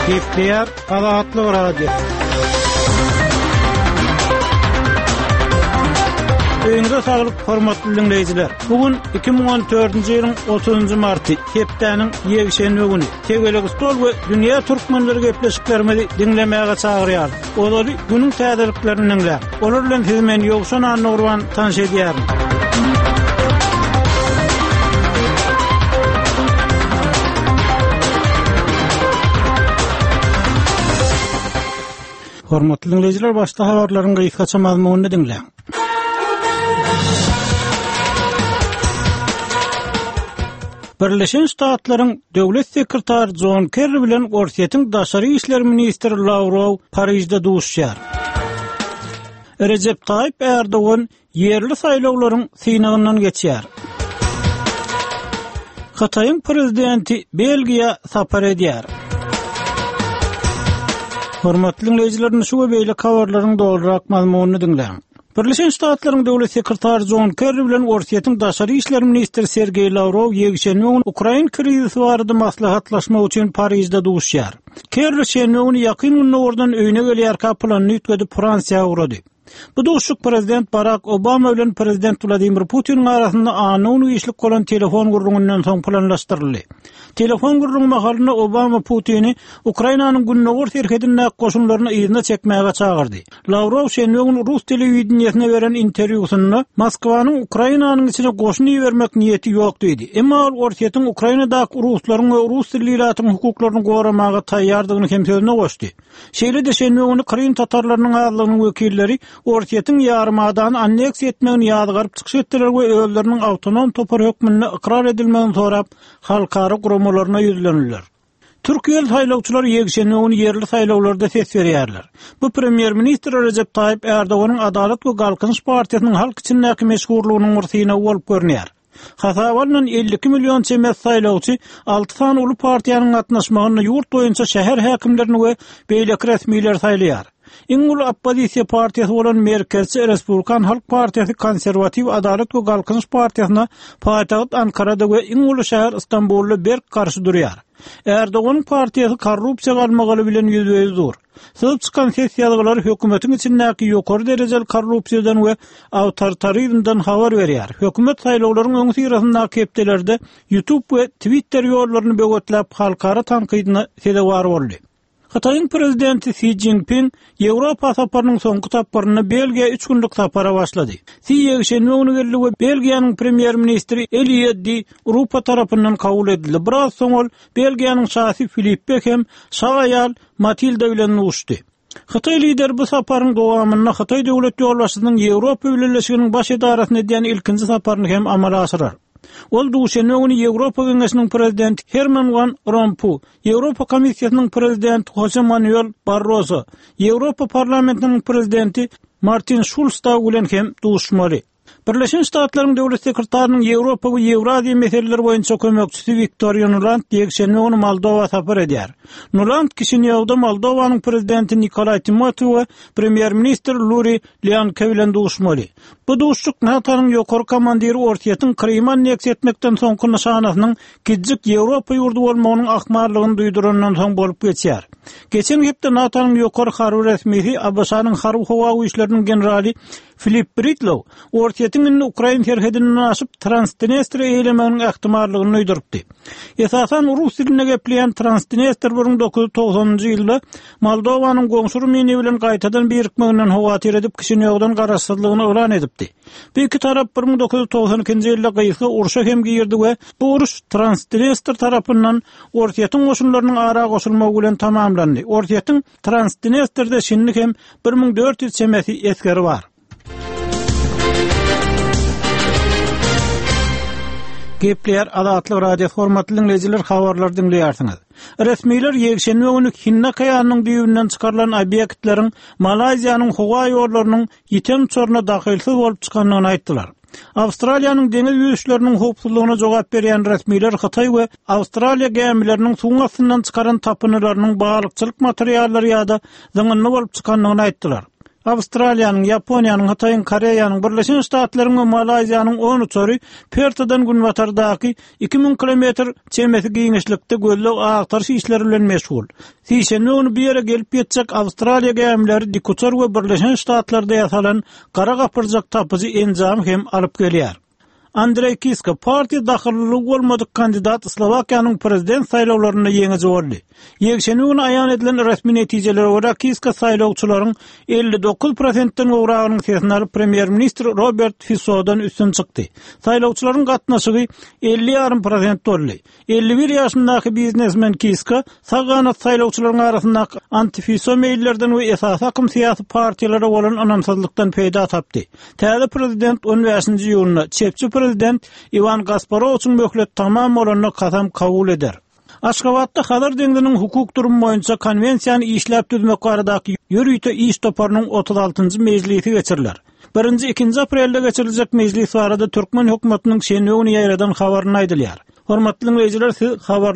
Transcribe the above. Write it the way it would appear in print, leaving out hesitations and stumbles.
Gepleýär Azatlyk Radiosy. Öýüňize saglyk, hormatly diňleýjiler. Bu gün 2014-nji ýylyň 30-njy marty, hepdäniň ýekşenbe güni. Tegelek stol we dünýä türkmenleri gepleşiklerimizi diňlemäge çagyrýarys. Ozaly günüň täzeliklerini diňläň. Olar bilen sizi men Ýowşan Annagurban tanyş edýärin. Hormatly diňleýjiler, başda habarlaryň gysgaça mazmunyny diňläň. Birleşen Ştatlaryň Döwlet sekretary Jon Kerri bilen Orsýetiň daşary işler ministri Lawrow Parižde duşuşýar. Rejep Taýyp Ärdogan ýerli saýlawlaryň synagyndan geçýär. Hytaýyň prezidenti Belgiýa sapar edýär. Hormatly diňleýjiler, indi şu we beýleki habarlaryň dolurak mazmunyny diňläň. Birleşen Ştatlaryň Döwlet sekretary Jon Kerri bilen Orsýetiň daşary işler ministri Sergeý Lawrow ýekşenbe güni ukrain krizisi barada maslahatlaşmak üçin Parižde duşuşýar. Kerri şenbe güni Ýakyn Gündogardan öýüne gelýärkä planyny üýtgedip Fransiýa ugrady. Bu duşuşyk prezident Barak Obama bilen prezident Wladimir Putiniň arasynda anna güni giçlik bolan telefon gürrüňinden soň planlaşdyryldy. Telefon gürrüňi mahalynda Obama Putini Ukrainanyň gündogar serhedindäki goşunlaryny yzyna çekmäge çagyrdy. Lawrow şenbe güni rus telewideniýesine beren interwýusynda Moskwanyň Ukrainanyň içine goşun ibermek niýeti ýok diýdi. Emma ol Orsýetiň Ukrainadaky ruslaryň we rus dilli ilatyň hukuklaryny goramaga taýýardygyny hem sözüne goşdy. Şeýle-de şenbe güni Krym tatarlarynyň azlygynyň wekilleri Orsýetiň ýarymadany anneksiýa etmegini ýazgaryp çykyş etdiler we özleriniň awtonom topar hökmünde ykrar edilmegini sorap halkara guramalaryna ýüzlendiler. Türkiýeli saýlawçylar ýekşenbe güni ýerli saýlawlarda ses berýärler. Bu premýer-ministr Rejep Taýyp Ärdoganyň Adalat we Galkynyş partiýasynyň halk içindäki meşhurlygynyň bir synagy bolup görünýär. Hasaba alnan 52 million çemesi saýlawçy alty sany uly partiýanyň gatnaşmagynda ýurt boýunça şäher häkimlerini we beýleki resmileri saýlaýar. Iň uly oppozisiýa partiýasy bolan merkezçi Respublikan halk partiýasy konserwatiw Adalat we Galkynyş partiýasyna paýtagt Ankarada we iň uly şäher Stambulda berk garşy durýar. Erdoganyň partiýasy korrupsiýa galmagaly bilen ýüzbe-ýüz dur. Syzyp çykan ses ýazgylary hökümetiň içindäki ýokary derejeli korrupsiýadan we awtoritarizmden habar berýär. Hökümet saýlawlaryň öňüsyrasyndaky hepdelerde YouTube we Twitter ýollaryny böwetläp halkara tankydyna sezewar boldy. Hytaýyň prezidenti Si Szinpin Ýewropa saparynyň soňky tapgyrynda Belgiýa üç günlük sapara başlady. Si ýekşenbe güni geldi we Belgiýanyň premýer-ministri Elie Di Rupo tarapyndan kabul edildi. Biraz soň ol Belgiýanyň şasy Filippe hem şa aýal Matilda bilen duşdy. Hytaý lideri bu saparyň dowamynda Hytaý döwlet ýolbaşçysynyň Ýewropa Bileleşiginiň baş edarasyna edýän ilkinji saparyny hem amala aşyrar. Ol duşenbe güni Ýewropa Geňeşiniň prezidenti Herman Wan Rompu, Ýewropa Komissiýasynyň prezidenti Hose Manuel Barroso, Ýewropa Parlamentiniň prezidenti Martin Şulz dagy bilen hem duşuşmaly. Birleşen Ştatlaryň Döwlet sekretarynyň Ýewropa we Ýewraziýa meseleleri boýunça kömekçisi Wiktoriýa Nuland ýekşenbe güni Moldowa sapar edýär. Nuland Kişinýowda Moldowanyň prezidenti Nikolaý Timoti we premýer-ministr Luri Leanke bilen duşmaly. Bu duşuşyk NATO-nyň ýokary komandiri Orsýetiň Krymy anneksiýa etmekden soňky nyşanasynyň kiçijik Ýewropa ýurdy bolmagynyň ahmallygyny duýdurandan soň bolup geçýär. Geçen hepde NATO-nyň ýokary harby resmisi, ABŞ-nyň Harby-howa güýçleriniň generaly Filip Bridlow Orsýetiň indi ukrain serhedinden aşyp Transdnestriýa eýelemeginiň ähtimallygyny duýdurypdy. Esasan rus dilinde gepleýän Transdnestr 1990-njy ýylda Moldowanyň goňşy Rumyniýa bilen gaýtadan birikmeginden howatyr edip Kişinýowdan garaşsyzlygyny yglan edipdi. Bu iki tarap 1992-nji ýylda gysga urşa hem girdi we bu uruş Transdnestr tarapyndan Orsýetiň goşunlarynyň ara goşulmagy bilen tamamlandy. Orsýetiň Transdnestrde şindi hem 1400 çemesi esgeri bar. Gepleýär Azatlyk Radiosy hormatly diňleýjiler habarlary diňleýärsiňiz. Resmiler ýekşenbe güni Hindi okeanynyň düýbünden çykarylan obýektleriň Malaýziýanyň howa ýollarynyň ýiten uçaryna dahylsyz bolup çykandygyny aýtdylar. Awstraliýanyň deňiz ýüzüşleriniň howpsuzlygyna jogap berýän resmiler Hytaý we Awstraliýa gämileriniň suwuň astyndan çykaran tapyndylarynyň balykçylyk materiallary ýa-da zyňyndy bolup çykandygyny aýtdylar. Awstraliýanyň, Ýaponiýanyň, Hytaýyň, Koreýanyň, Birleşen Ştatlaryň we Malaýziýanyň on uçary Pertadan günbatardaky 2000 kilometr çemesi giňişlikde gözleg-agtaryş işleri bilen meşgul. Sişenbe güni bu ýere gelip ýetjek Awstraliýa gämileri dikuçar we Birleşen Ştatlarda ýasalan gara gapyrjak tapyjy enjamy hem alyp gelýär. Andreý Kiska partiýa dahyllylygy bolmadyk kandidat Slowakiýanyň prezident saýlawlarynda ýeňiji boldy. Ýekşenbe güni aýan edilen resmi netijelere görä, Kiska saýlawçylaryň 59 prosentden gowragynyň sesini alyp, premýer-ministr Robert Fisodan üstün çykdy. Saýlawçylaryň gatnaşygy 50 ýarym prosent boldy. 51 ýaşyndaky biznesmen Kiska sag ganat saýlawçylaryň arasyndaky anti-Fiso meýillerden we esasy akym syýasy partiýalara bolan ynamsyzlykdan peýda tapdy. Täze prezident on bäşinji iýunda çepçi prezident Iwan Gasparowiçiň möhleti tamam bolanda kasam kabul eder. Aşgabatda Hazar deňziniň hukuk durumy boýunça Konwensiýany işläp düzmek baradaky ýörite iş toparynyň otuz altynjy mejlisi geçiriler. Birinji, ikinji aprelde geçiriljek mejlis barada türkmen hökümetiniň şenbe güni ýaýradan habarynda aýdylýar. Hormatly diňleýjiler, siz habar.